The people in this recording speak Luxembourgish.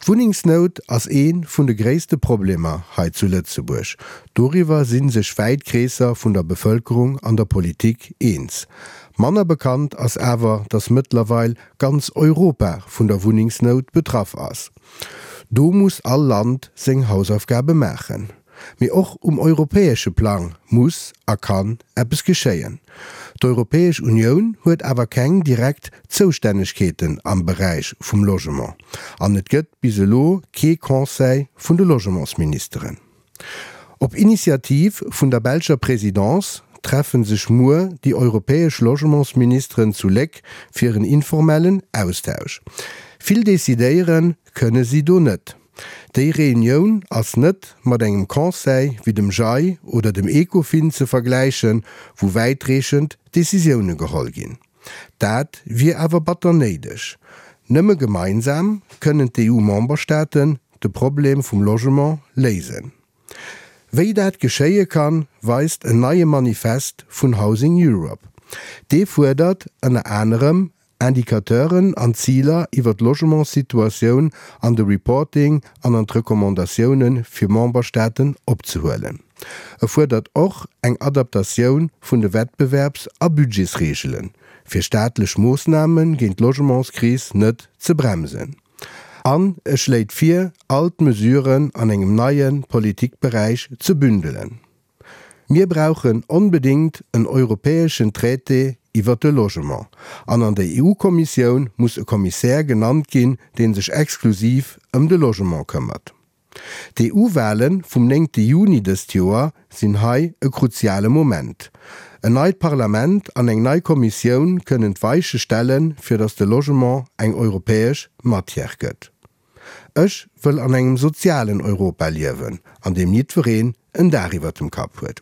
D'Wunnengsnout ass ee vun de gréisste Problemer hei zu Lëtzebuerg. Doriwwer si sech wäit Kreesser vun der Bevëlkerung an der Politik eens. Manner bekannt ass awer, datt mëttlerweil ganz Europa vun der Wunnengsnout betraff ass. Do muss all Land seng Hausaufgabe maachen. Mee och um europäesche Plang muss a kann eppes geschéien. D'Europäesch Unioun huet awer keng direkt Zoustännegkeeten am Beräich vum Logement an et gëtt bis elo kee Conseil vun de Logementsministeren. Op Initiativ vun der belscher Présidence treffe sech muer déi europäesch Logementsministeren zu Léck fir en informellen Austausch. Vill decidéiere kënne si do net. Déi Reunioun ass net mat engem Conseil wéi dem JAI oder dem Ecofin ze vergläichen, wou wäitreechend Decisioune geholl ginn. Dat wier awer batter néideg. Nëmme gemeinsam kënnen d'EU-Memberstaaten de Problem vum Logement léisen. Wéi dat geschéie kann, weist en neie Manifest vun Housing Europe. Dee fuerdert ënner anerem Indicateuren an Ziler iwwer d'Logementssituatioun an de Reporting an an d'Recommandatioune fir Memberstaaten opzehuelen. E fuerdert och eng Adaptatioun vun de Wettbewerbs a Budgetsreegelen, fir staatlech Moossname géint d'Logementskris net ze bremsen. An e schléit vir, all d'Mesuren an engem neie Politikberäich ze bündelen. Mir brauchen onbedéngt en europäeschen Traité iwwert de Logement. An an der EU-Kommissioun muss e Kommissär genannt ginn, dee sech exklusiv ëm de Logement këmmert. D'EU-Wahle vum néngte Juni dëst Joer sinn hei e kruziale Moment. En neit Parlament an eng nei Kommissioun kënnen d'Weiche stellen, fir datt de Logement eng europäesch Matière gëtt. Ech wëll an engem sozialen Europa liewen, an deem jiddwereen en Daach iwwert dem Kapp huet.